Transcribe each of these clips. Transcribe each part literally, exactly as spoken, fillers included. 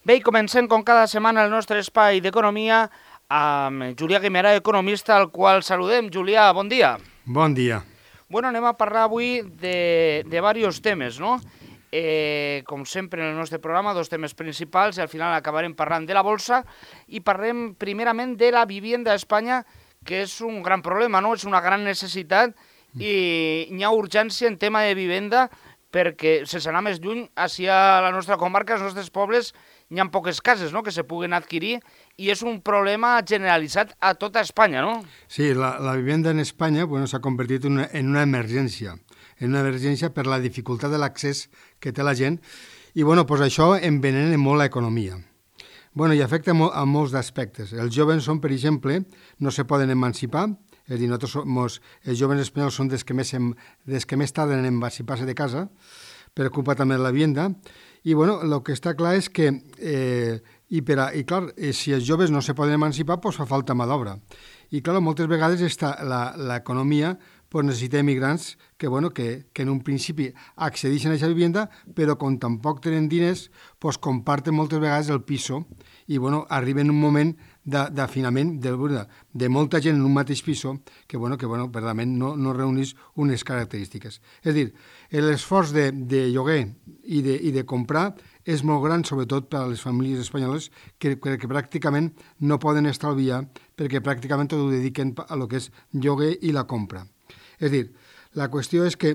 Bé, i comencem com cada setmana el nostre espai d'economia amb Julià Guimerà, economista, al qual saludem. Julià, bon dia. Bon dia. Bueno, anem a parlar avui de, de diversos temes, no? Eh, com sempre en el nostre programa, dos temes principals i al final acabarem parlant de la bolsa i parlem primerament de la vivienda a Espanya, que és un gran problema, no? És una gran necessitat i hi ha urgència en tema de vivenda perquè, sense anar més lluny, així a la nostra comarca, als nostres pobles, hi ha poques cases, no?, que se puguen adquirir i és un problema generalitzat a tota Espanya, no? Sí, la, la vivienda en Espanya bueno, s'ha convertit en una, en una emergència, en una emergència per la dificultat de l'accés que té la gent i bueno, pues això envenena molt l'economia. Bueno, i afecta molt, a molts aspectes. Els joves són, per exemple, no se poden emancipar, és a dir, nosaltres som, els joves espanyols són des que més, em, des que més tarden en emancipar-se de casa, per culpa també de la vivienda, i bueno, el que està clar és que, eh, i, per a, i clar, eh, si els joves no se poden emancipar, doncs fa falta mà d'obra. I clar, moltes vegades està l'economia pues, necessita immigrants que, bueno, que, que en un principi accedeixen a aquesta vivenda, però com tampoc tenen diners, pues, comparten moltes vegades el piso i bueno, arriben un moment d'afinament de, de, de molta gent en un mateix piso que, bueno, que bueno, verdaderament no, no reunís unes característiques. És a dir, l'esforç de, de lloguer i de, i de comprar és molt gran, sobretot per a les famílies espanyoles que, que, que pràcticament no poden estalviar perquè pràcticament tot ho dediquen a lo que és lloguer i la compra. És a dir, la qüestió és que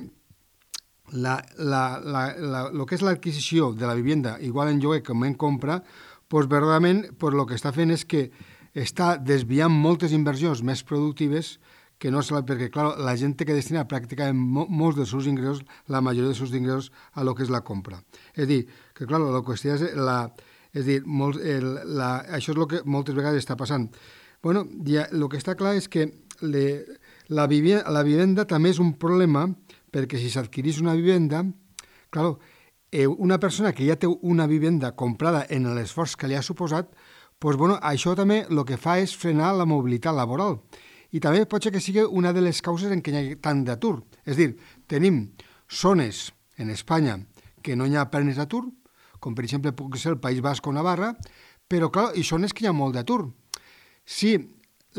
la, la, la, la, lo que és l'adquisició de la vivienda, igual en lloguer com en compra, doncs verdaderament pues, el que està fent és que està desviant moltes inversions més productives que no se la, perquè clar, la gent té que destinar pràcticament mo, molts dels seus ingressos, la majoria dels seus ingressos, a lo que és la compra. És a dir, que clar, la qüestió és la, és a dir, molt, el, la, això és el que moltes vegades està passant. Bueno, ja, el que està clar és que le, la, vivenda, la vivenda també és un problema perquè si s'adquirís una vivenda, clar, eh, una persona que ja té una vivenda comprada en l'esforç que li ha suposat, doncs, bueno, això també el que fa és frenar la mobilitat laboral. I també pot ser que sigui una de les causes en què hi ha tant d'atur. És a dir, tenim zones en Espanya que no hi ha plenes d'atur, com per exemple pot ser el País Basc o Navarra, però clar, hi zones que hi ha molt d'atur. Si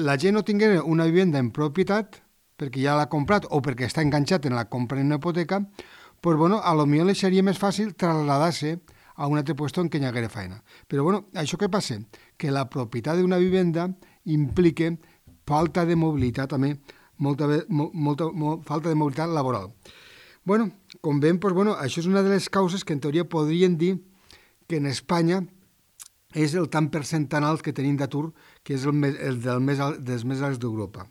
la gent no tingués una vivenda en propietat, perquè ja l'ha comprat o perquè està enganxat en la compra en una hipoteca, doncs, bueno, a lo millor li seria més fàcil traslladar-se a un altre lloc en què hi haguera feina. Però, bueno, això què passa? Que la propietat d'una vivenda implica falta de mobilitat també, molta, molta, molta falta de mobilitat laboral. Bueno, com veiem, doncs, bueno, això és una de les causes que en teoria podrien dir que en Espanya és el tant percentant alt que tenim d'atur, que és el, més, el del més alt, dels més alts d'Europa.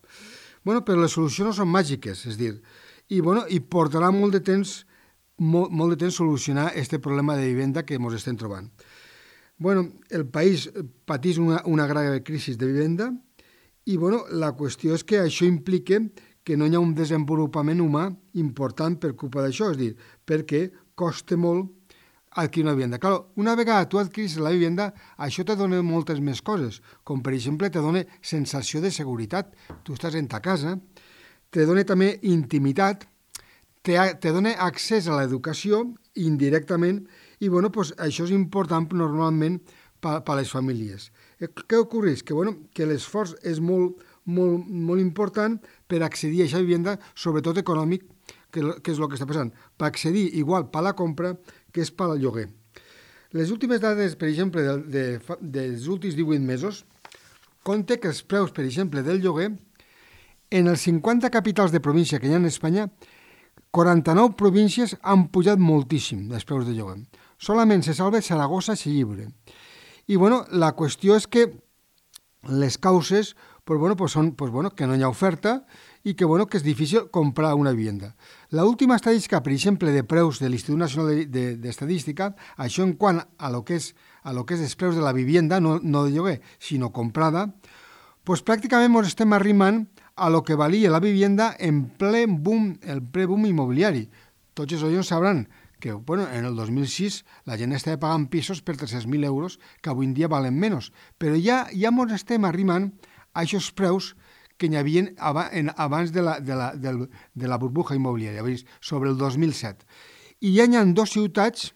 Bueno, però les solucions no són màgiques, és dir, i, bueno, i portarà molt de temps, molt, molt de temps solucionar aquest problema de vivenda que ens estem trobant. Bueno, el país patís una, una grave crisi de vivenda i, bueno, la qüestió és que això implica que no hi ha un desenvolupament humà important per culpa d'això, és dir, perquè costa molt adquirir una vivenda. Clar, una vegada tu adquiris la vivenda, això te dona moltes més coses, com per exemple te dona sensació de seguretat. Tu estàs en ta casa, te dona també intimitat, te, te dona accés a l'educació indirectament i bueno, pues, això és important normalment per a les famílies. Què ocorreix? Que, bueno, que l'esforç és molt, molt, molt important per accedir a aquesta vivenda, sobretot econòmic, que, que és el que està passant, per accedir igual per la compra que és per al lloguer. Les últimes dades, per exemple, de, de, dels últims divuit mesos, compte que els preus, per exemple, del lloguer, en els cinquanta capitals de província que hi ha en Espanya, quaranta-nou províncies han pujat moltíssim els preus de lloguer. Solament se salva Saragossa i Llibre. I, bueno, la qüestió és que les causes pues, bueno, pues són pues, bueno, que no hi ha oferta i que, bueno, que és difícil comprar una vivenda. La última estadística, per exemple, de preus de l'Institut Nacional d'Estadística, això en quant a lo que és, a lo que és els preus de la vivenda, no, no de lloguer, sinó comprada, pues, pràcticament ens estem arrimant a lo que valia la vivenda en ple boom, el ple boom immobiliari. Tots els oients sabran que bueno, en el dos mil sis la gent estava pagant pisos per tres-cents mil euros que avui en dia valen menys, però ja, ja ens estem arrimant a aquests preus que hi havia abans de la, de la, de la, de la burbuja immobiliària, sobre el dos mil set. I ja hi ha dues ciutats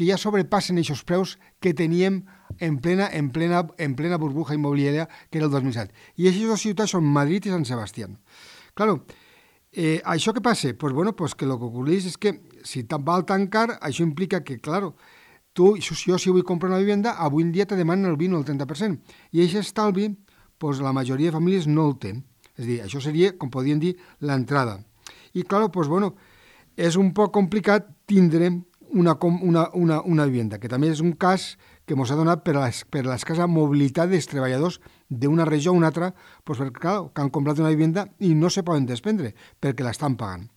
que ja sobrepassen aquests preus que teníem en plena, en plena, en plena burbuja immobiliària, que era el dos mil set. I aquestes dues ciutats són Madrid i Sant Sebastián. Claro, eh, això què passa? Pues bueno, pues que el que ocorreix és que si val tan car, això implica que, claro, tu, jo si vull comprar una vivenda, avui en dia te demanen el vint o el trenta per cent. I aquest estalvi, pues la majoria de famílies no el té. És a dir, això seria, com podríem dir, l'entrada. I, claro, pues bueno, és un poc complicat tindre una, una, una, una vivenda, que també és un cas que ens ha donat per l'escassa mobilitat dels treballadors d'una regió a una altra, pues perquè, clar, que han comprat una vivenda i no se poden desprendre, perquè l'estan pagant.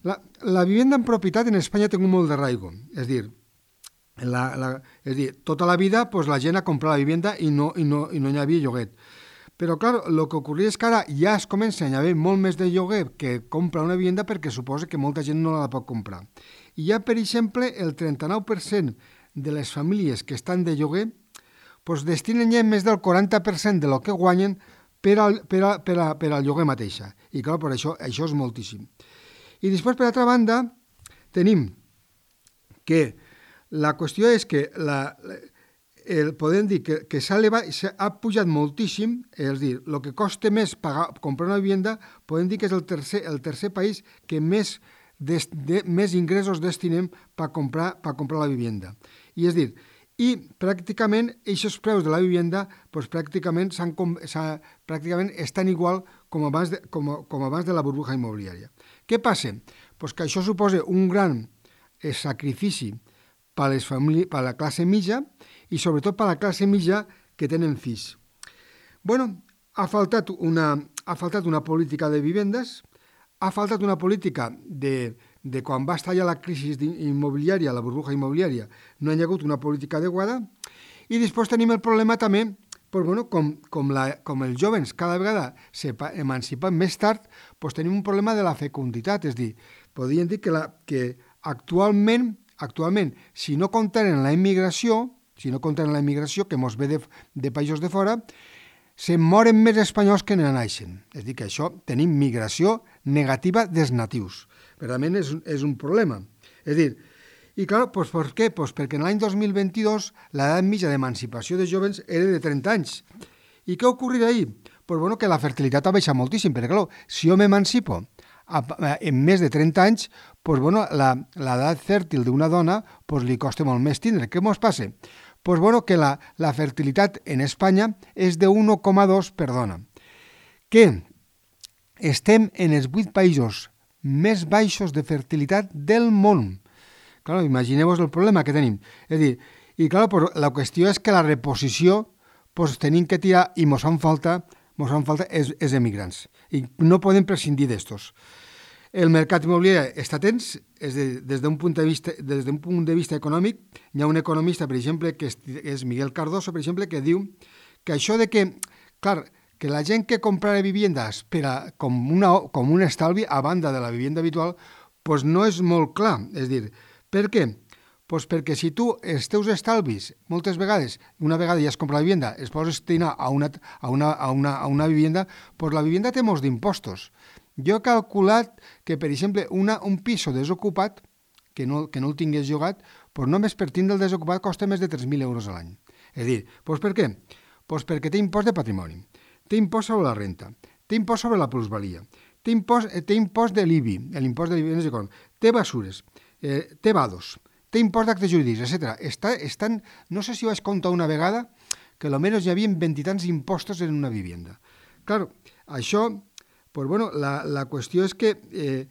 La, la vivenda en propietat en Espanya té molt d'arraigo, és dir, la, la, és dir, tota la vida pues, la gent ha comprat la vivenda i no, i no, i no hi havia lloguet. Però, clar, el que ocorria és que ara ja es comença a haver molt més de lloguer que compra una vivenda perquè suposa que molta gent no la pot comprar. I ja, per exemple, el trenta-nou per cent de les famílies que estan de lloguer pues, destinen ja més del quaranta per cent de lo que guanyen per al, per a, per a, per al lloguer mateixa. I, clar, per això, això és moltíssim. I després, per altra banda, tenim que la qüestió és que la, el, podem dir que, que s'ha elevat, ha pujat moltíssim, és dir, el que costa més pagar, comprar una vivenda, podem dir que és el tercer, el tercer país que més, des, de, més ingressos destinem per comprar, per comprar la vivenda. I és dir, i pràcticament aquests preus de la vivenda pues, pràcticament, s'han, s'ha, pràcticament estan igual com abans, de, com, com abans de la burbuja immobiliària. Què passa? Pues que això suposa un gran eh, sacrifici per a les famílies, per a la classe mitja i sobretot per a la classe mitja que tenen fills. Bueno, ha faltat una, ha faltat una política de vivendes, ha faltat una política de, de quan va estallar la crisi immobiliària, la burbuja immobiliària, no hi ha hagut una política adequada, i després tenim el problema també, pues bueno, com, com, la, com els joves cada vegada s'emancipen més tard, pues tenim un problema de la fecunditat, és dir, podríem dir que, la, que actualment, actualment, si no comptaren la immigració, si no comptaren la immigració que mos ve de, de països de fora, se moren més espanyols que ne naixen. És a dir, que això tenim migració negativa dels natius. Realment és, és un problema. És a dir, i clar, doncs per què? Pues perquè en l'any dos mil vint-i-dos l'edat mitja d'emancipació de joves era de trenta anys. I què ocorrirà ahir? Pues bueno, que la fertilitat ha baixat moltíssim, perquè clar, si jo m'emancipo en més de trenta anys, pues bueno, l'edat fèrtil d'una dona pues li costa molt més tindre. Què mos passa? Pues bueno, que la, la fertilitat en Espanya és de un coma dos per dona. Que estem en els vuit països més baixos de fertilitat del món. Clar, imagineu-vos el problema que tenim. És a dir, i clar, pues, la qüestió és que la reposició pues, tenim que tirar i mos fan falta, mos fan falta els, els emigrants. I no podem prescindir d'estos. El mercat immobiliari està tens, és de, des d'un punt de vista, des d'un punt de vista econòmic. Hi ha un economista, per exemple, que és, és Miguel Cardoso, per exemple, que diu que això de que, clar, que la gent que comprarà viviendes per a, com, una, com un estalvi a banda de la vivenda habitual, pues no és molt clar. És dir, per què? Pues perquè si tu els teus estalvis, moltes vegades, una vegada ja has comprat la vivenda, es pots destinar a una, a una, a una, a una vivenda, pues la vivenda té molts d'impostos. Jo he calculat que, per exemple, una, un piso desocupat, que no, que no el tingués llogat, doncs només per tindre el desocupat costa més de tres mil euros a l'any. És a dir, doncs per què? Doncs perquè té impost de patrimoni, té impost sobre la renta, té impost sobre la plusvalia, té impost, té impost de l'I B I, l'impost de l'I B I, té basures, eh, té vados, té impost d'actes jurídics, etcètera. Està, estan, no sé si vaig comptar una vegada que almenys hi havia vint i tants impostos en una vivenda. Clar, això... Pues bueno, la, la qüestió és que eh,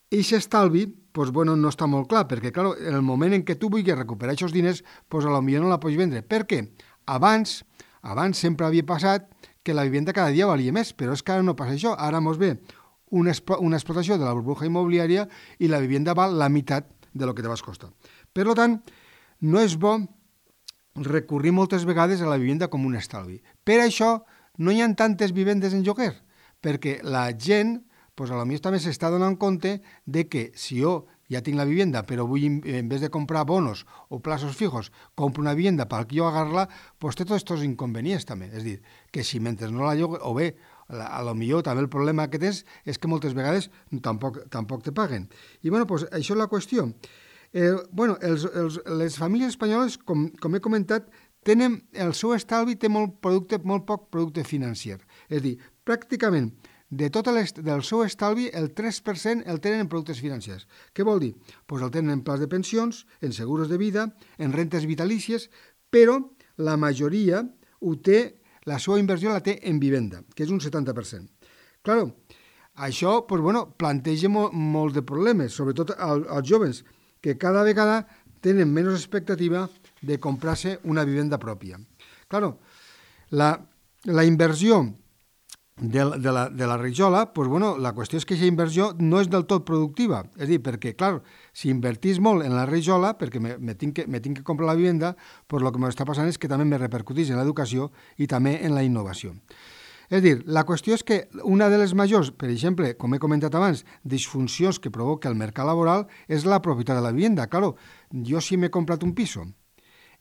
aquest estalvi pues bueno, no està molt clar, perquè clar, en el moment en què tu vulguis recuperar aquests diners, pues potser no la pots vendre. Per què? Abans, abans sempre havia passat que la vivenda cada dia valia més, però és que ara no passa això. Ara mos ve una, una explotació de la burbuja immobiliària i la vivenda val la meitat de lo que te vas costar. Per tant, no és bo recurrir moltes vegades a la vivenda com un estalvi. Per això no hi ha tantes vivendes en lloguer, perquè la gent, pues, a lo millor també s'està donant compte de que si jo ja tinc la vivenda, però vull, en vez de comprar bonos o plazos fijos, compro una vivenda per jo agarrar-la, pues té tots aquests inconvenients també. És dir, que si mentre no la llogue, o bé, a lo millor també el problema que tens és que moltes vegades tampoc, tampoc te paguen. I bueno, pues, això és la qüestió. Eh, bueno, els, els, les famílies espanyoles, com, com he comentat, tenen el seu estalvi té molt, producte, molt poc producte financer. És a dir, pràcticament de tot del seu estalvi, el tres per cent el tenen en productes financers. Què vol dir? Pues el tenen en plans de pensions, en seguros de vida, en rentes vitalícies, però la majoria ho té, la seva inversió la té en vivenda, que és un setanta per cent. Claro, això pues, bueno, planteja molt, molts de problemes, sobretot als, als joves, que cada vegada tenen menys expectativa de comprar-se una vivenda pròpia. Claro, la, la inversió de, de, la, de la rajola, pues bueno, la qüestió és que aquesta inversió no és del tot productiva. És a dir, perquè, clar, si invertís molt en la rajola, perquè me, me, tinc que, me tinc que comprar la vivenda, pues el que m'està passant és que també me repercutís en l'educació i també en la innovació. És a dir, la qüestió és que una de les majors, per exemple, com he comentat abans, disfuncions que provoca el mercat laboral és la propietat de la vivenda. Claro, jo si m'he comprat un piso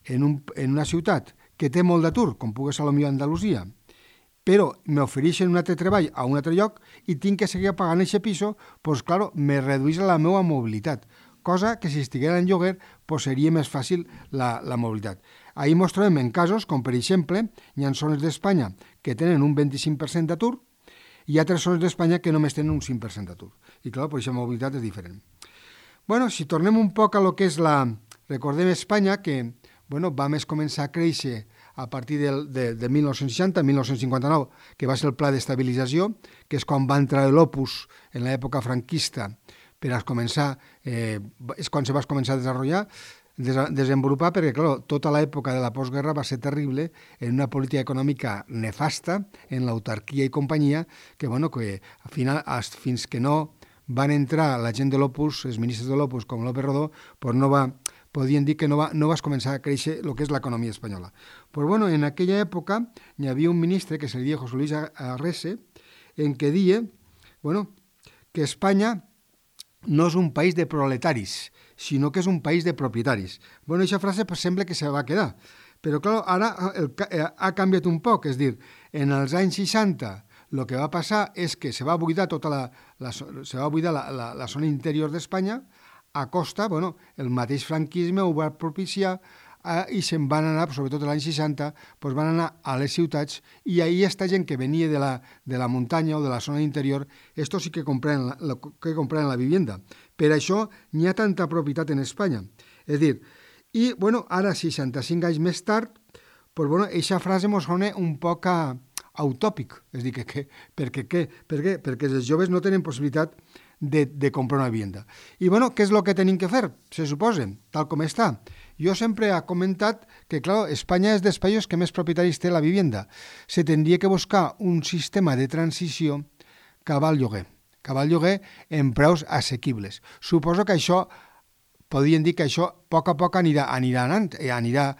en, un, en una ciutat que té molt d'atur, com pugui ser potser Andalusia, però m'ofereixen un altre treball a un altre lloc i tinc que seguir pagant aquest piso, doncs, claro, me redueix la meva mobilitat, cosa que si estiguera en lloguer pues, seria més fàcil la, la mobilitat. Ahir ens trobem en casos com, per exemple, hi ha zones d'Espanya que tenen un vint-i-cinc per cent d'atur i hi ha altres zones d'Espanya que només tenen un cinc per cent d'atur. I, clar, pues, aquesta mobilitat és diferent. Bueno, si tornem un poc a lo que és la... Recordem Espanya que bueno, va més començar a créixer a partir del, de, de mil nou-cents seixanta, mil nou-cents cinquanta-nou, que va ser el pla d'estabilització, que és quan va entrar l'Opus en l'època franquista per a començar, eh, és quan se va començar a desenvolupar, desenvolupar perquè, clar, tota l'època de la postguerra va ser terrible en una política econòmica nefasta, en l'autarquia i companyia, que, bueno, que al final, fins que no van entrar la gent de l'Opus, els ministres de l'Opus, com López Rodó, pues no va, podien dir que no va, no va començar a créixer el que és l'economia espanyola. Pues, bueno, en aquella època hi havia un ministre que se li deia José Luis Arrese, en què deia, bueno, que Espanya no és un país de proletaris, sinó que és un país de propietaris. Bueno, aquesta frase pues, sembla que se va quedar, però clar, ara el, ha canviat un poc, és dir, en els anys seixanta el que va passar és que se va buidar tota la, la, se va buidar la, la, la zona interior d'Espanya a costa, bueno, el mateix franquisme ho va propiciar eh, i se'n van anar, sobretot l'any seixanta, pues van anar a les ciutats i ahir aquesta gent que venia de la, de la muntanya o de la zona interior, estos sí que compren la, la, que compren la vivienda. Per això n'hi ha tanta propietat en Espanya. És dir, i bueno, ara, seixanta-cinc anys més tard, pues, bueno, aquesta frase ens sona un poc a, a utòpic. És dir, que, que, perquè, que, per què? Perquè els joves no tenen possibilitat de, de comprar una vivienda. I bueno, què és el que tenim que fer? Se suposa, tal com està. Jo sempre he comentat que, clar, Espanya és dels països que més propietaris té la vivienda. Se tindria que buscar un sistema de transició cap al lloguer, cap al lloguer en preus assequibles. Suposo que això, podien dir que això a poc a poc anirà, anirà anant, anirà,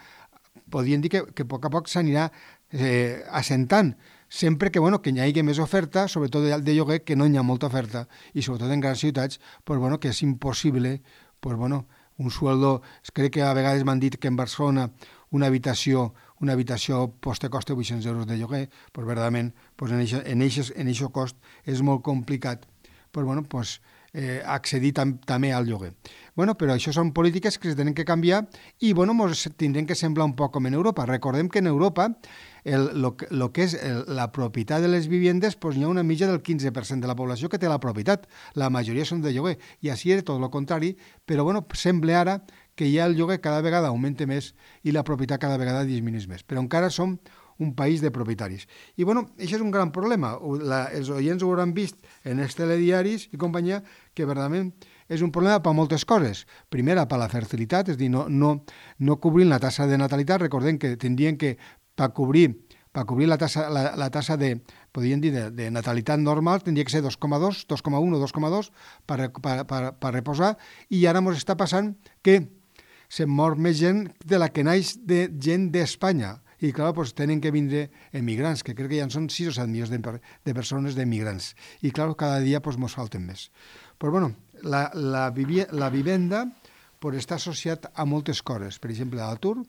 podien dir que, que a poc a poc s'anirà eh, assentant, sempre que, bueno, que hi hagi més oferta, sobretot de, de lloguer, que no hi ha molta oferta, i sobretot en grans ciutats, pues, bueno, que és impossible, pues, bueno, un sueldo, crec que a vegades m'han dit que en Barcelona una habitació, una habitació pues, te costa vuit-cents euros de lloguer, pues, verdaderament, pues, en aquest en en en cost és molt complicat, pues, bueno, pues, eh, accedir tam, també al lloguer. Bueno, però això són polítiques que es tenen que canviar i, bueno, ens tindrem que semblar un poc com en Europa. Recordem que en Europa el, lo, lo que és el, la propietat de les viviendes, pues, hi ha una mitja del quinze per cent de la població que té la propietat. La majoria són de lloguer. I així és tot el contrari, però, bueno, sembla ara que ja el lloguer cada vegada augmenta més i la propietat cada vegada disminueix més. Però encara som un país de propietaris. I, bueno, això és un gran problema. La, els oients ho hauran vist en els telediaris i companyia, que verdaderament és un problema per moltes coses. Primera, per la fertilitat, és a dir, no, no, no cobrint la tassa de natalitat. Recordem que tindrien que, per cobrir, per cobrir la tassa, la, la tassa de, podríem dir, de, de natalitat normal, tindria que ser dos coma dos, dos coma un o dos coma dos per, per, per, per reposar, i ara ens està passant que se'n mor més gent de la que naix de gent d'Espanya. I, clar, doncs, tenen que vindre emigrants, que crec que ja són sis o set milions de, de persones d'emigrants. I, clar, cada dia doncs, ens falten més. Però, bueno, la, la, vivi, la vivenda doncs, està associat a moltes coses. Per exemple, l'atur,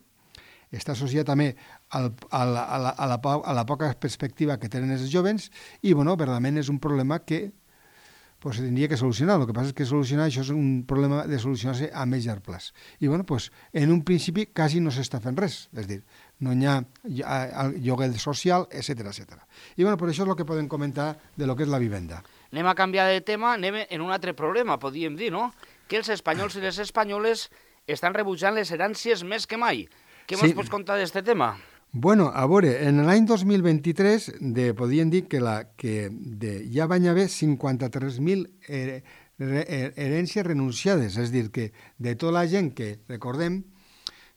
està associat també al, a, la, a, la, a, la, a la poca perspectiva que tenen els jovens i, bueno, verdaderament és un problema que pues, se tindria que solucionar. El que passa és que solucionar això és un problema de solucionar-se a més llarg plaç. I bueno, pues, en un principi quasi no s'està fent res, és dir, no hi ha lloguer social, etcètera, etcètera. I bueno, per això és el que podem comentar de lo que és la vivenda. Anem a canviar de tema, anem en un altre problema, podríem dir, no? Que els espanyols i les espanyoles estan rebutjant les herències més que mai. Què sí. Ens pots contar d'aquest tema? Bueno, a veure, en l'any dos mil vint-i-tres de, podien dir que, la, que de, ja van haver cinquanta-tres mil her, her, herències renunciades, és a dir, que de tota la gent que, recordem,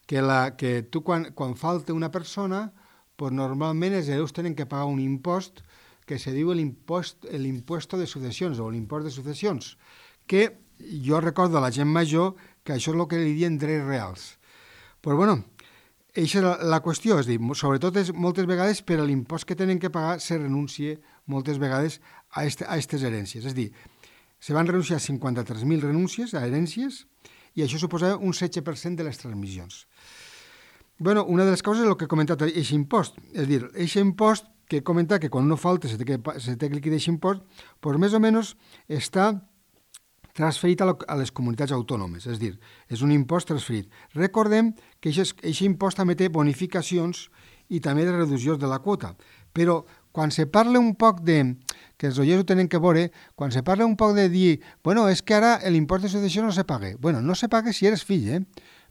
que, la, que tu quan, quan falta una persona, pues normalment els hereus tenen que pagar un impost que se diu l'impost de successions o l'impost de successions, que jo recordo a la gent major que això és el que li diuen drets reals. Però, bueno, això és la, la qüestió, és dir, sobretot és, moltes vegades per l'impost que tenen que pagar se renuncia moltes vegades a aquestes herències. És dir, se van renunciar cinquanta-tres mil renúncies a herències i això suposa un setze per cent de les transmissions. Bueno, una de les causes és el que he comentat, aquest impost. És dir, aquest impost que he comentat que quan no falta se té que, se té que liquidar aquest impost, doncs més o menys està transferit a, lo, a les comunitats autònomes, és dir, és un impost transferit. Recordem que aquest impost també té bonificacions i també de reduccions de la quota, però quan se parla un poc de, que els oients ho tenen que veure, quan se parla un poc de dir, bueno, és que ara l'impost de successió no se paga. Bueno, no se paga si eres fill, eh?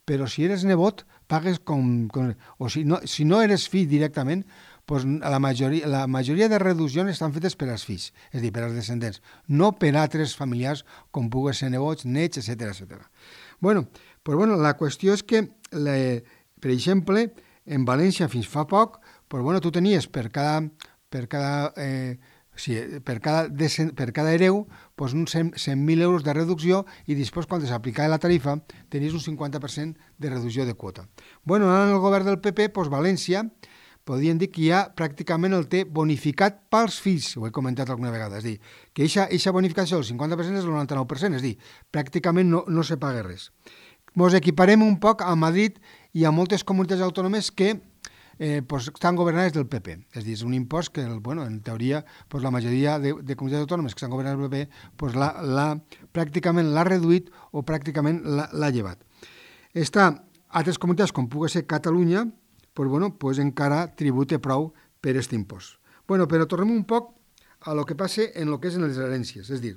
Però si eres nebot, pagues com... com o si no, si no eres fill directament, pues la, majoria, la majoria de reduccions estan fetes per als fills, és a dir, per als descendents, no per altres familiars com puguen ser nebots, nets, etcètera, etcètera. Bueno, pues bueno, la qüestió és que, la, per exemple, en València fins fa poc, pues bueno, tu tenies per cada, per cada, eh, sí, per cada, per cada hereu pues uns cent mil euros de reducció i després, quan s'aplicava la tarifa, tenies un cinquanta per cent de reducció de quota. Bueno, ara en el govern del P P, pues València, podríem dir que ja pràcticament el té bonificat pels fills, ho he comentat alguna vegada, és a dir, que aquesta bonificació del cinquanta per cent és el noranta-nou per cent, és a dir, pràcticament no, no se paga res. Ens equiparem un poc a Madrid i a moltes comunitats autònomes que eh, pues, estan governades del P P, és a dir, és un impost que, bueno, en teoria, pues, la majoria de, de comunitats autònomes que estan governades del P P pues, la, la, pràcticament l'ha reduït o pràcticament l'ha llevat. Està altres comunitats, com pugui ser Catalunya, pues, bueno, pues encara tribute prou per aquest impost. Bueno, però tornem un poc a lo que passa en lo que és en les herències. És dir,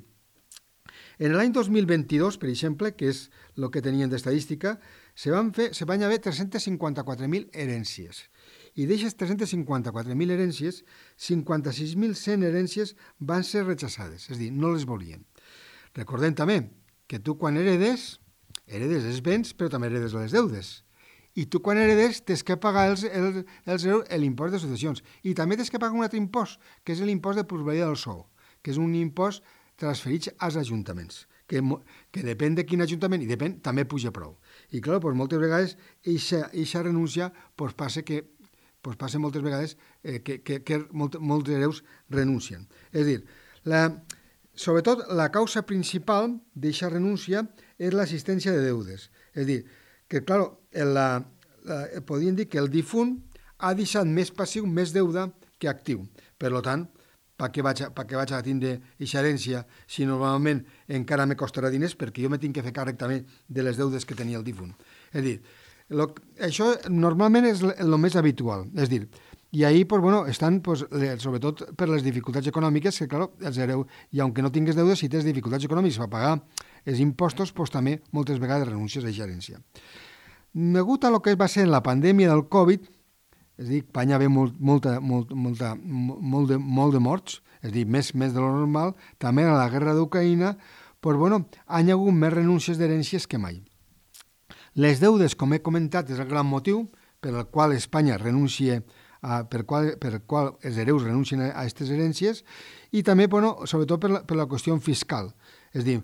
en l'any dos mil vint-i-dos, per exemple, que és el que tenien d'estadística, se van fer, se van haver tres-cents cinquanta-quatre mil herències. I d'aquestes tres-cents cinquanta-quatre mil herències, cinquanta-sis mil cent herències van ser rechaçades, és a dir, no les volien. Recordem també que tu quan heredes, heredes els béns, però també heredes les deudes. I tu quan heredes tens que pagar els, els, els, l'impost de successions. I també tens que pagar un altre impost, que és l'impost de plusvalia del sou, que és un impost transferit als ajuntaments, que, que depèn de quin ajuntament, i depèn, també puja prou. I clar, doncs, moltes vegades aquesta renúncia doncs, passa que doncs, passa moltes vegades eh, que, que, que molt, molts hereus renuncien. És a dir, la, sobretot la causa principal d'aquesta renúncia és l'assistència de deudes. És a dir, que, clar, la, la, podríem dir que el difunt ha deixat més passiu, més deuda que actiu. Per tant, per què vaig, per què vaig a tindre aquesta herència si normalment encara me costarà diners perquè jo me tinc que fer càrrec també de les deudes que tenia el difunt. És a dir, lo, això normalment és el més habitual. És a dir, i ahir, pues, bueno, estan, pues, sobretot per les dificultats econòmiques, que, clar, els hereu, i aunque no tingues deudes, si tens dificultats econòmiques per pagar els impostos, pues, també moltes vegades renuncies a aquesta herència. Degut a lo que va ser la pandèmia del Covid, és a dir, va haver molt, molta, molt, molta, molt, de, molt de morts, és a dir, més, més de lo normal, també a la guerra d'Ucraïna, pues, bueno, han hagut més renúncies d'herències que mai. Les deudes, com he comentat, és el gran motiu per al qual Espanya renuncia, a, per, qual, per qual els hereus renuncien a aquestes herències, i també, bueno, sobretot per la, per la qüestió fiscal. És a dir,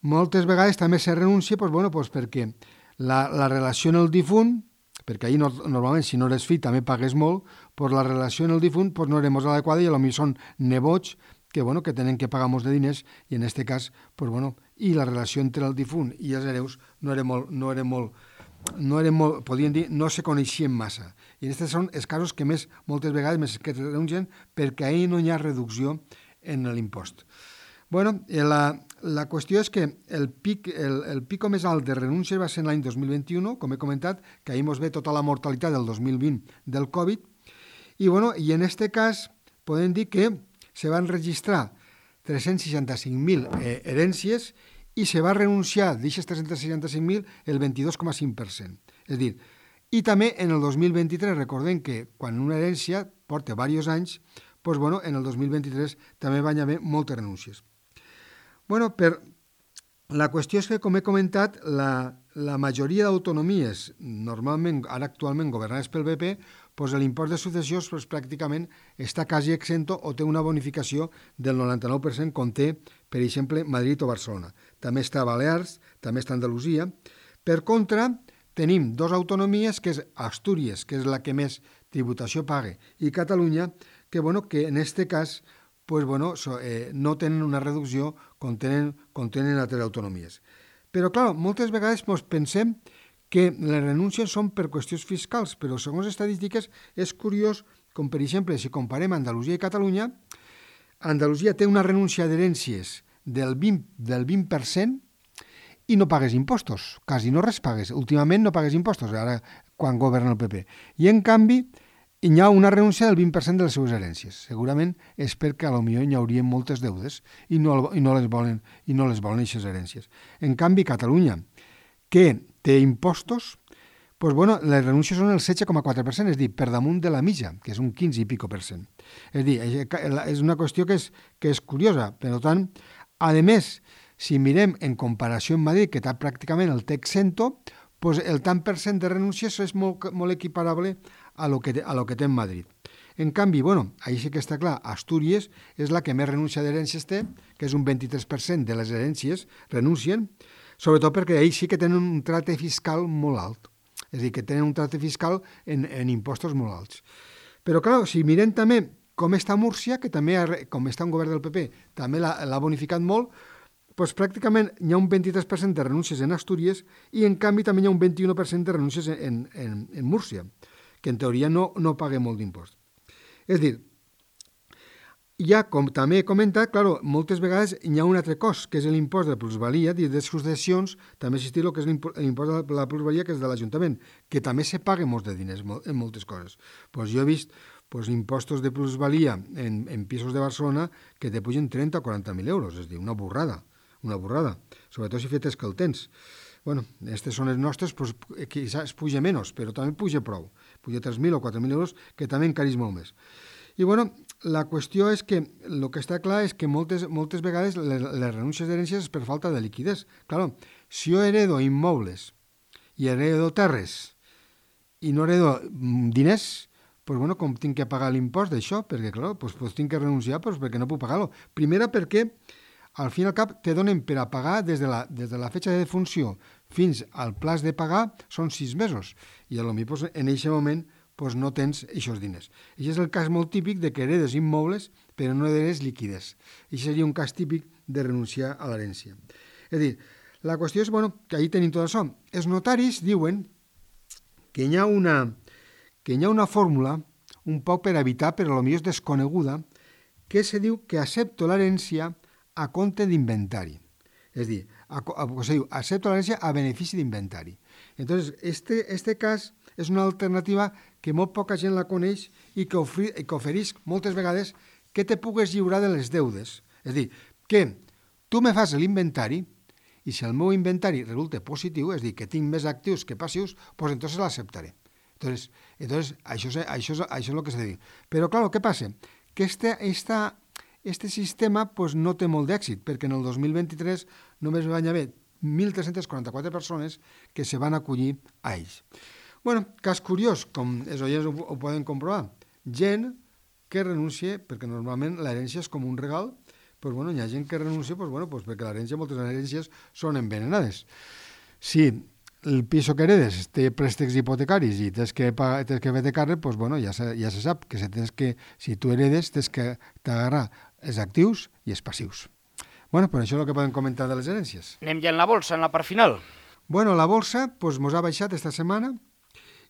moltes vegades també se renuncia pues, bueno, pues, perquè La, la relació en el difunt, perquè ahir no, normalment si no eres fill també pagues molt, pues la relació en el difunt pues no era molt adequada i potser són nebots que, bueno, que tenen que pagar molts de diners i en aquest cas, pues bueno, i la relació entre el difunt i els hereus no era molt, no era molt, no era molt, podríem dir, no se coneixien massa. I aquests són els casos que més, moltes vegades més que renuncien perquè ahir no hi ha reducció en l'impost. Bueno, la, la qüestió és que el, pic, el, el pico més alt de renúncies va ser l'any dos mil vint-i-u, com he comentat, que ahir mos ve tota la mortalitat del dos mil vint del Covid, i, bueno, i en aquest cas podem dir que se van registrar tres-cents seixanta-cinc mil eh, herències i se va renunciar d'aquestes tres-cents seixanta-cinc mil el vint-i-dos coma cinc per cent. És a dir, i també en el dos mil vint-i-tres, recordem que quan una herència porta diversos anys, doncs, bueno, en el dos mil vint-i-tres també van haver moltes renúncies. Bueno, per... La qüestió és que, com he comentat, la, la majoria d'autonomies, normalment, ara actualment governades pel B P, doncs l'impost de successions doncs, pràcticament està quasi exento o té una bonificació del noranta-nou per cent, com té, per exemple, Madrid o Barcelona. També està Balears, també està Andalusia. Per contra, tenim dues autonomies, que és Astúries, que és la que més tributació paga, i Catalunya, que, bueno, que en aquest cas pues, bueno, so, eh, no tenen una reducció com tenen, com tenen altres autonomies. Però, clar, moltes vegades pues, pensem que les renúncies són per qüestions fiscals, però segons estadístiques és curiós, com per exemple, si comparem Andalusia i Catalunya, Andalusia té una renúncia d'herències del vint, del vint per cent i no pagues impostos, quasi no res pagues. Últimament no pagues impostos, ara quan governa el P P. I en canvi, hi ha una renúncia del vint per cent de les seves herències. Segurament és perquè potser hi haurien moltes deudes i no, i no les volen i no les volen aquestes herències. En canvi, Catalunya, que té impostos, doncs, bueno, les renúncies són el setze coma quatre per cent, és a dir, per damunt de la mitja, que és un quinze i pico per cent. És a dir, és una qüestió que és, que és curiosa. Per tant, a més, si mirem en comparació amb Madrid, que està pràcticament el té exento, doncs el tant per cent de renúncies és molt, molt equiparable a lo, que, a lo que té en Madrid. En canvi, bueno, ahí sí que està clar, Astúries és la que més renúncia d'herències té, que és un vint-i-tres per cent de les herències renuncien, sobretot perquè ahí sí que tenen un tracte fiscal molt alt. És a dir, que tenen un tracte fiscal en, en impostos molt alts. Però, clar, si mirem també com està Múrcia, que també, com està un govern del P P, també l'ha bonificat molt, doncs pràcticament hi ha un vint-i-tres per cent de renúncies en Astúries i, en canvi, també hi ha un vint-i-u per cent de renúncies en, en, en Múrcia, que en teoria no, no paga molt d'impost. És a dir, ja, com també he comentat, claro, moltes vegades hi ha un altre cost, que és l'impost de plusvalia, i de successions, també existeix el que és l'impost de la plusvalia, que és de l'Ajuntament, que també se paga molts de diners en moltes coses. Pues jo he vist pues, impostos de plusvalia en, en pisos de Barcelona que te pugen trenta o quaranta mil euros, és a dir, una burrada, una burrada, sobretot si fetes que el tens. Bueno, aquestes són les nostres, pues, quizás puja menys, però també puja prou. Puja tres mil o quatre mil euros, que també encarís molt més. I, bueno, la qüestió és que el que està clar és que moltes, moltes vegades les, les renúncies d'herències és per falta de liquiditat. Claro, si jo heredo immobles i heredo terres i no heredo diners, pues, bueno, com tinc que pagar l'impost d'això? Perquè, clar, pues, pues, tinc que renunciar pues, perquè no puc pagar-lo. Primera, perquè al fin i al cap te donen per a pagar des de la, des de la fetxa de defunció fins al plaç de pagar són sis mesos. I a lo millor pues, en aquest moment pues, no tens aquests diners. I és el cas molt típic de que heredes immobles però no heredes liquides. I seria un cas típic de renunciar a l'herència. És a dir, la qüestió és bueno, que ahí tenim tot això. Els notaris diuen que hi ha una, que hi ha una fórmula un poc per evitar, però potser és desconeguda, que se diu que accepto l'herència a compte d'inventari. És a dir, a, a, o sigui, accepto l'herència a benefici d'inventari. Entonces, este, este cas és una alternativa que molt poca gent la coneix i que, ofri, que ofereix moltes vegades que te pugues lliurar de les deudes. És a dir, que tu me fas l'inventari i si el meu inventari resulta positiu, és a dir, que tinc més actius que passius, doncs entonces l'acceptaré. Entonces, entonces això, és, això, és, això és el que s'ha de dir. Però, clar, què passa? Que este, esta Este sistema pues, no té molt d'èxit, perquè en el dos mil vint-i-tres només van haver mil tres-cents quaranta-quatre persones que se van acollir a ells. Bueno, cas curiós, com els oients ho, ho poden comprovar, gent que renuncia, perquè normalment l'herència és com un regal, pues, bueno, hi ha gent que renuncia pues, bueno, pues, perquè l'herència, moltes herències són envenenades. Si el piso que heredes té préstecs hipotecaris i tens que, tens que fer de càrrec, pues, bueno, ja, se, ja se sap que, se tens que si tu heredes tens que t'agarrar els actius i els passius. Bueno, pues això és el que podem comentar de les herències. Anem ja en la bolsa, en la part final. Bueno, la bolsa pues, mos ha baixat esta setmana.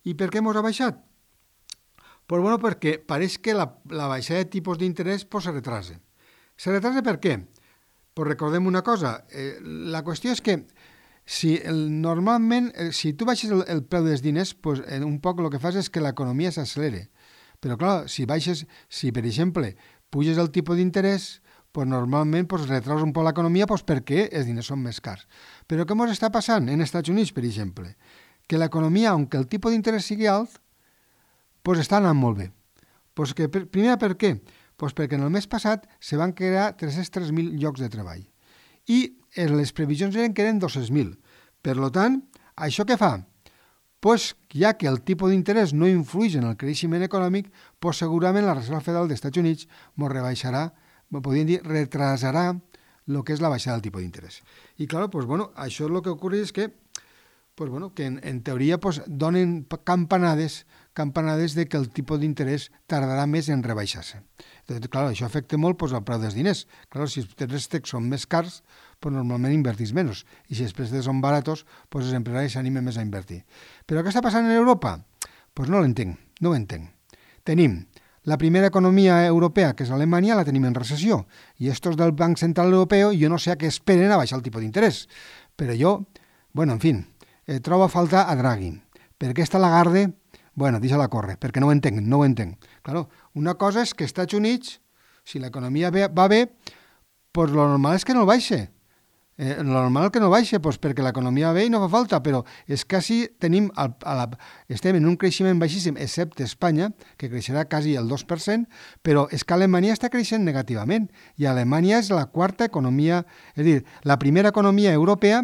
I per què mos ha baixat? Pues, bueno, perquè pareix que la, la baixada de tipus d'interès pues, se retrasa. Se retrasa per què? pues recordem una cosa, eh, la qüestió és que si el, normalment, eh, si tu baixes el, el preu dels diners, pues, eh, un poc el que fas és que l'economia s'accelere. Però clar, si baixes, si per exemple puges el tipus d'interès, pues normalment pues, retraus un poc l'economia pues, perquè els diners són més cars. Però què ens està passant en Estats Units, per exemple? Que l'economia, aunque el tipus d'interès sigui alt, pues, està anant molt bé. Pues que, per, primer, per què? Pues perquè en el mes passat se van crear tres-cents tres mil llocs de treball i les previsions eren que eren dos-cents mil. Per tant, això què fa? Pues, ja que el tipus d'interès no influeix en el creixement econòmic, pues, segurament la Reserva Federal dels Estats Units ens rebaixarà, podríem dir, retrasarà el que és la baixada del tipus d'interès. I, clar, pues, bueno, això el que ocorre és que, pues, bueno, que en, en teoria pues, donen campanades, campanades de que el tipus d'interès tardarà més en rebaixar-se. Entonces, clar, això afecta molt pues, el preu dels diners. Clar, si els préstecs són més cars, pues, normalment invertís menys. I si els préstecs són baratos, pues, els empresaris s'animen més a invertir. Però què està passant en Europa? Pues no l'entenc, no ho entenc. Tenim la primera economia europea, que és Alemanya, la tenim en recessió. I estos del Banc Central Europeu, jo no sé a què esperen a baixar el tipus d'interès. Però jo, bueno, en fi, eh, trobo a faltar a Draghi. Per què està Lagarde? Bueno, deixa-la córrer, perquè no ho entenc, no ho entenc. Claro, una cosa és que als Estats Units, si l'economia va bé, pues lo normal és que no el baixe. Eh, lo normal que no baixe, pues perquè l'economia va bé i no fa falta, però és quasi tenim, a la, estem en un creixement baixíssim, excepte Espanya, que creixerà quasi el dos per cent, però és que Alemanya està creixent negativament, i Alemanya és la quarta economia, és a dir, la primera economia europea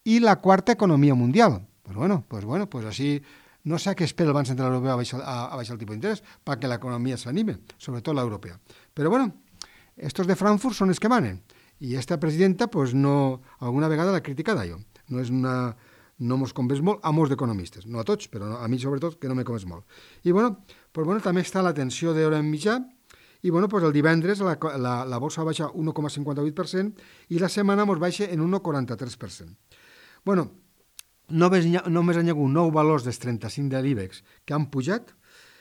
i la quarta economia mundial. Pues bueno, pues bueno, pues així no sé a què espera el Banc Central Europeu a baixar, a, a baixar el tipus d'interès, perquè l'economia s'anime, sobretot l'europea. Però bueno, estos de Frankfurt són els que manen. I esta presidenta, pues, no, alguna vegada la critica d'allò. No és una, no mos convés molt a molts economistes, no a tots, però a mi sobretot que no me convés molt. I bueno, pues, bueno també està la tensió d'hora en mitjà, i bueno, pues, el divendres la, la, la borsa baixa un un coma cinquanta-vuit per cent i la setmana mos baixa en un un coma quaranta-tres per cent. Bueno, només, només hi ha hagut nou valors dels trenta-cinc de l'IBEX que han pujat.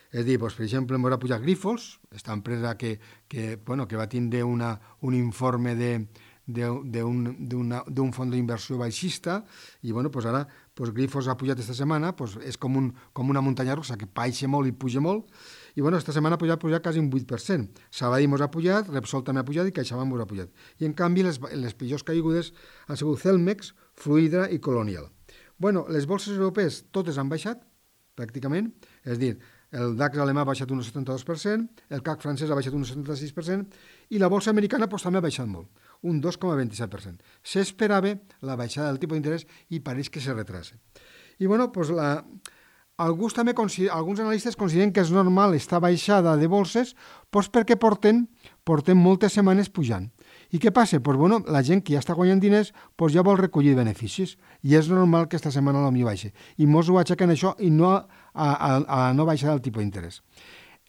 És a dir, doncs, per exemple, ens va pujar Grifols, aquesta empresa que, que, bueno, que va tindre una, un informe d'un fons d'inversió baixista i bueno, doncs ara doncs Grifols ha pujat aquesta setmana, doncs és com, un, com una muntanya russa que baixa molt i puja molt i bueno, aquesta setmana ha pujat, pujat quasi un vuit per cent. Sabadell mos ha pujat, Repsol també ha pujat i CaixaBank mos ha pujat. I en canvi les, les pitjors caigudes han sigut Celmex, Fluidra i Colonial. Bueno, les bolses europees totes han baixat, pràcticament, és a dir, el DAX alemà ha baixat un setanta-dos per cent, el C A C francès ha baixat un setanta-sis per cent i la bolsa americana pues, també ha baixat molt, un dos coma vint-i-set per cent. S'esperava la baixada del tipus d'interès i pareix que se retrasa. I bueno, pues la... Alguns, també, alguns analistes consideren que és normal esta baixada de bolses pues, perquè porten, porten moltes setmanes pujant. I què passa? Pues, bueno, la gent que ja està guanyant diners pues, ja vol recollir beneficis i és normal que esta setmana la millor baixa. I molts ho aixequen això i no a, a, a la no baixada del tipus d'interès.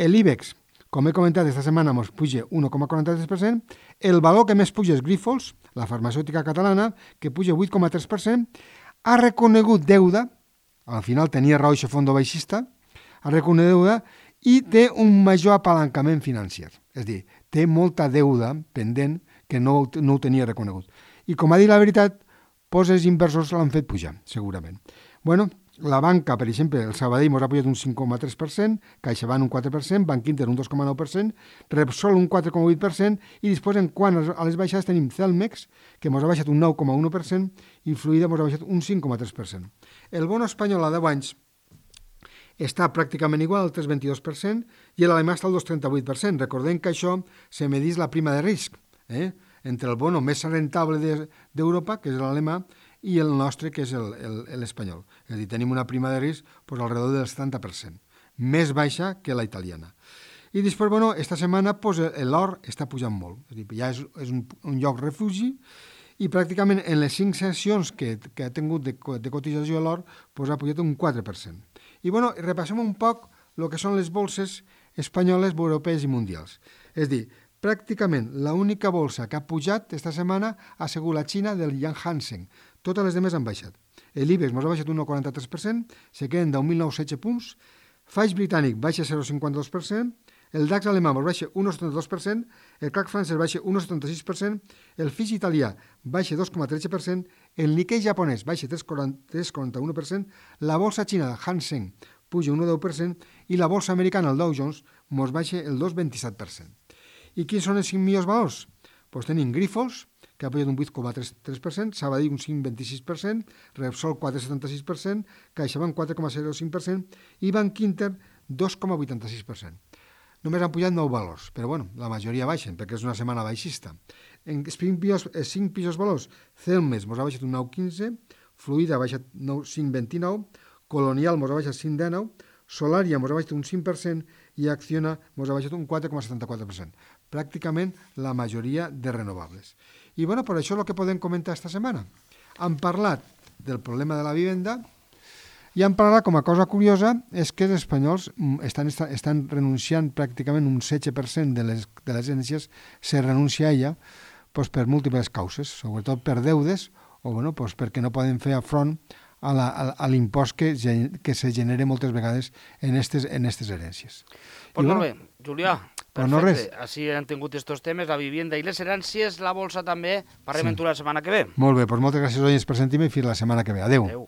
L'IBEX, com he comentat, esta setmana ens puja un un coma quaranta-tres per cent. El valor que més puja és Grifols, la farmacèutica catalana, que puja vuit coma tres per cent. Ha reconegut deuda, al final tenia raó aquest fons baixista, ha reconegut deuda i té un major apalancament financer. És a dir, té molta deuda pendent que no, no ho tenia reconegut. I com ha dit la veritat, doncs els inversors l'han fet pujar, segurament. Bueno, la banca, per exemple, el Sabadell mos ha pujat un cinc coma tres per cent, CaixaBank un quatre per cent, Banc Inter un dos coma nou per cent, Repsol un quatre coma vuit per cent i després, en quant a les baixades, tenim Celmex, que mos ha baixat un nou coma u per cent i Fluida mos ha baixat un cinc coma tres per cent. El bono espanyol a deu anys està pràcticament igual al tres coma vint-i-dos per cent i l'alemà està al dos coma trenta-vuit per cent. Recordem que això se medís la prima de risc, eh? entre el bono més rentable d'Europa, que és l'alemà, i el nostre, que és l'espanyol. És a dir, tenim una prima de risc pues, alrededor del setanta per cent, més baixa que la italiana. I després, bueno, esta setmana pues, l'or està pujant molt. És a dir, ja és, és un, un lloc refugi i pràcticament en les cinc sessions que, que ha tingut de, de cotització l'or pues, ha pujat un quatre per cent. I bueno, repassem un poc el que són les bolses espanyoles, europees i mundials. És a dir, pràcticament l'única bolsa que ha pujat esta setmana ha sigut la Xina del Yang Hansen. Totes les demés han baixat. L'IBEX mos ha baixat un un coma quaranta-tres per cent, se queden deu mil nou-cents setze punts. F A I britànic baixa zero coma cinquanta-dos per cent, el DAX alemà mos baixa un coma setanta-dos per cent, el CAC francès baixa un coma setanta-sis per cent, el F I S italià baixa dos coma tretze per cent, el Nikkei japonès baixa tres coma quaranta-u per cent, la bolsa xina Hang Seng puja un coma deu per cent i la bolsa americana, el Dow Jones, mos baixa el dos coma vint-i-set per cent. I quins són els cinc millors valors? Pues tenim Grifols, que ha pujat un vuit coma tres per cent, Sabadell un cinc coma vint-i-sis per cent, Repsol quatre coma setanta-sis per cent, CaixaBank quatre coma zero cinc per cent i Bank Inter dos coma vuitanta-sis per cent. Només han pujat nou valors, però bueno, la majoria baixen, perquè és una setmana baixista. En els cinc pitjors valors, Celmes mos ha baixat un nou coma quinze, Fluida ha baixat cinc coma vint-i-nou, Colonial mos ha baixat cinc coma dinou, Solaria mos ha baixat un cinc per cent i Acciona mos ha baixat un quatre coma setanta-quatre per cent. Pràcticament la majoria de renovables. I bueno, per això és el que podem comentar esta setmana. Han parlat del problema de la vivenda i han parlat, com a cosa curiosa, és que els espanyols estan, estan renunciant pràcticament un setze per cent de les, de les herències, se renuncia a ella pues, per múltiples causes, sobretot per deudes o bueno, pues, perquè no poden fer afront a, la, a, a l'impost que, que se genera moltes vegades en aquestes en estes herències. Pues molt bé, Julià. Pues no res. Així han tingut estos temes, la vivienda i les herències, la bolsa també. Parlem sí. en tu la setmana que ve. Molt bé, doncs moltes gràcies, oients, per sentir-me i fins la setmana que ve. Adéu. Adéu.